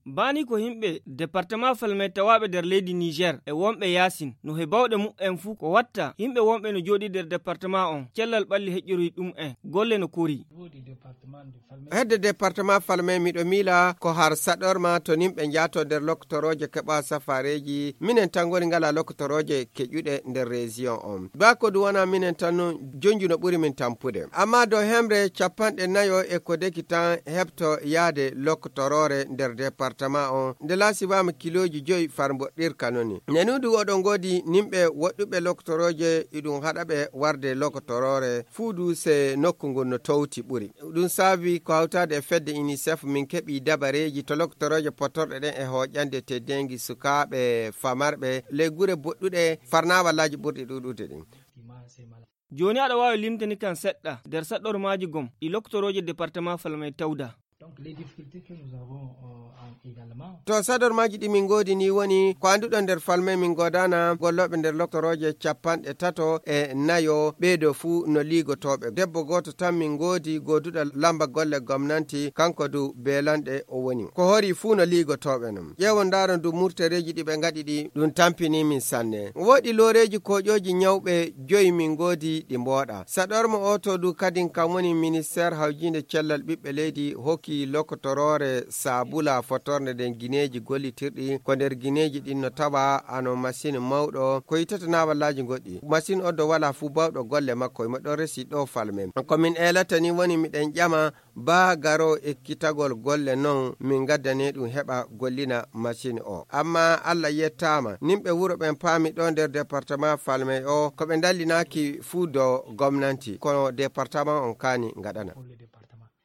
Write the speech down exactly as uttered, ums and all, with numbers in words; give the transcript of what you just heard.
Baani ko yimɓe departement Falmay tawaaɓe nder leydi Niger e wonɓe yaasin, no he bawɗe mumen fuu ko watta yimɓe wonɓe no jooɗii nder departement on, cellal ɓalli heƴƴoroyi ɗum'en, golle no korii. Hedde departement Falmay miɗo miila ko har saɗorma to nimɓe njaato nder lokotorooje keɓa safareeji, minen tan ngoni ngala lokotorooje keƴuɗe nder région on. Baa ko ɗum wona minen tan non jonju no ɓuri min tampude. Amma dow hemre capanɗe nayo e ko deki tan heɓto yaade lokotoroore nder departement on, nde laasibaama kilooji joyi far mboɗɗirka noni. Nenu du oɗon ngoodi nimɓe woɗɗuɓe lokotorooje, iɗum haɗa ɓe warde lokotoroore, fuu du se nokku ngun no towti ɓuri. Ɗum saabi ko hawtaade e fedde UNICEF min keɓi dabareeji to lokotorooje potorɗe ɗen e hooƴande teddeengi sukaaɓe famarɓe ley gure boɗɗuɗe farnaawallaaji ɓurɗi ɗuuɗude ɗin. Jooni aɗa waawi limtani kan seɗɗa nder saɗɗormaaji gom ɗi lokotorooje departement Falmay tawda. To saɗormaaji ɗi min ngoodi ni woni ko annduɗon nder Falmay min ngoodana gollooɓe nder lokotorooje capanɗe tato e nayo ɓeeɗo fuu no liigotooɓe. Debbo gooto tan min ngoodi gooduɗo lamba golle gomnanti, kanko du beelanɗe o woni. Ko hori fuu no liigotooɓe non. Ƴeewon ndaaron du murtereeji ɗi ɓe ngaɗi ɗi, ɗum tampini min sanne. Woodi looreeji kooƴooji ñawɓe joyi min ngoodi ɗi mbooɗa. Saɗorma o to du kadin kam woni ministeer hawjiinde cellal ɓiɓɓe leydi hokki lokotoroore saabula fotornde nden gineeji gollitirɗi. Ko nder gineeji ɗin no tawa ano masin mawɗo ko yitata naawallaaji goɗɗi. Masin o do wala fuu bawɗo golle makko, imo ɗon resi ɗo Falmay. Ko min eelata ni woni miɗen ƴama baa garo ekkitagol golle non min gaddane ɗum heɓa gollina masin o. Amma Allah yettaama, nimɓe wuro ɓen paami ɗo nder departement Falmay o, ko ɓe ndallinaaki fuu do gomnanti, kono departement on kaani ngaɗana.